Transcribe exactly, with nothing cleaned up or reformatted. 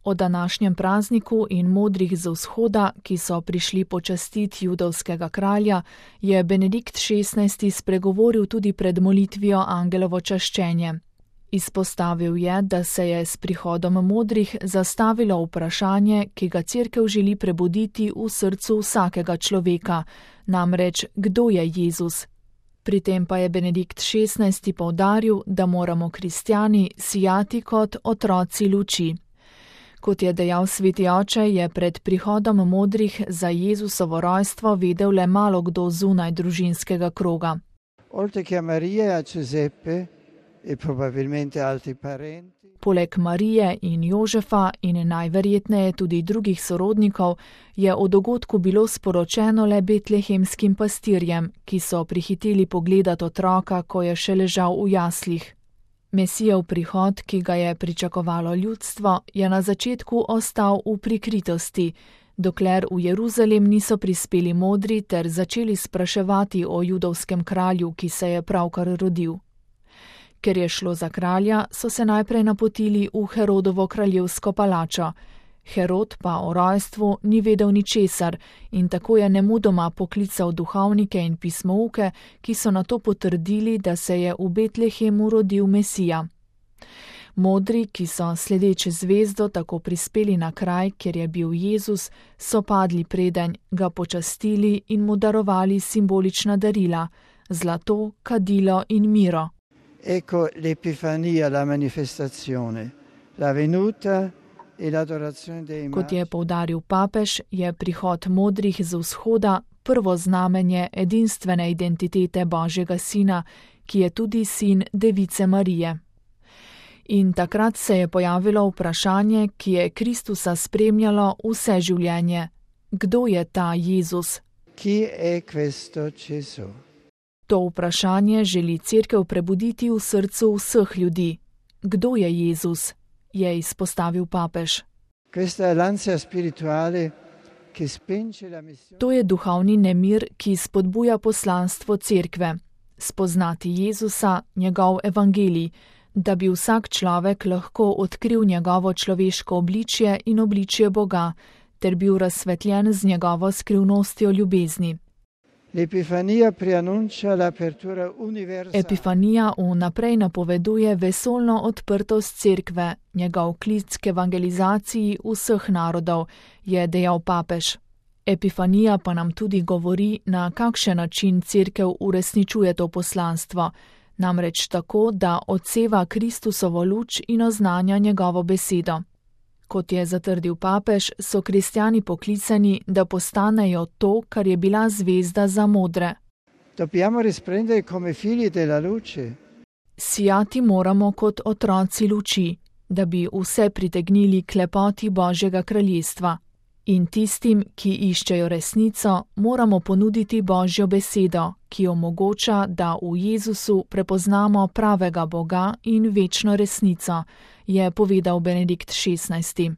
O današnjem prazniku in modrih z vzhoda, ki so prišli počastiti judovskega kralja, je Benedikt šestnajsti spregovoril tudi pred molitvijo Angelovo čaščenje. Izpostavil je, da se je s prihodom modrih zastavilo vprašanje, ki ga Cerkev želi prebuditi v srcu vsakega človeka, namreč kdo je Jezus. Pri tem pa je Benedikt šestnajsti poudaril, da moramo kristjani sijati kot otroci luči. Kot je dejal sveti oče, je pred prihodom modrih za Jezusovo rojstvo vedel le malo kdo zunaj družinskega kroga. Poleg Marije in Jožefa in najverjetneje tudi drugih sorodnikov je o dogodku bilo sporočeno le betlehemskim pastirjem, ki so prihiteli pogledat otroka, ko je še ležal v jaslih. Mesijev prihod, ki ga je pričakovalo ljudstvo, je na začetku ostal v prikritosti, dokler v Jeruzalem niso prispeli modri ter začeli spraševati o judovskem kralju, ki se je pravkar rodil. Ker je šlo za kralja, so se najprej napotili v Herodovo kraljevsko palačo. Herod pa o rojstvu ni vedel ničesar in tako je nemudoma poklical duhovnike in pismouke, ki so nato potrdili, da se je v Betlehemu rodil Mesija. Modri, ki so sledeče zvezdo tako prispeli na kraj, kjer je bil Jezus, so padli predenj, ga počastili in mu darovali simbolična darila, zlato, kadilo in miro. Ecco l'Epifania, la manifestazione, la venuta. Kot je poudaril papež, je prihod modrih z vzhoda prvo znamenje edinstvene identitete Božjega sina, ki je tudi sin Device Marije. In takrat se je pojavilo vprašanje, ki je Kristusa spremljalo vse življenje. Kdo je ta Jezus? Chi è questo Gesù? To vprašanje želi Cerkev prebuditi v srcu vseh ljudi. Kdo je Jezus? Je izpostavil papež. To je duhovni nemir, ki spodbuja poslanstvo Cerkve. Spoznati Jezusa, njegov evangelij, da bi vsak človek lahko odkril njegovo človeško obličje in obličje Boga, ter bil razsvetljen z njegovo skrivnostjo ljubezni. Epifanija vnaprej napoveduje vesoljno odprtost Cerkve, njegov klic k evangelizaciji vseh narodov, je dejal papež. Epifanija pa nam tudi govori, na kakšen način Cerkev uresničuje to poslanstvo, namreč tako, da odseva Kristusovo luč in oznanja njegovo besedo. Kot je zatrdil papež, so kristjani poklicani, da postanejo to, kar je bila zvezda za modre. Sijati moramo kot otroci luči, da bi vse pritegnili k lepoti Božjega kraljestva. In tistim, ki iščejo resnico, moramo ponuditi Božjo besedo, ki omogoča, da v Jezusu prepoznamo pravega Boga in večno resnico, je povedal Benedikt šestnajsti.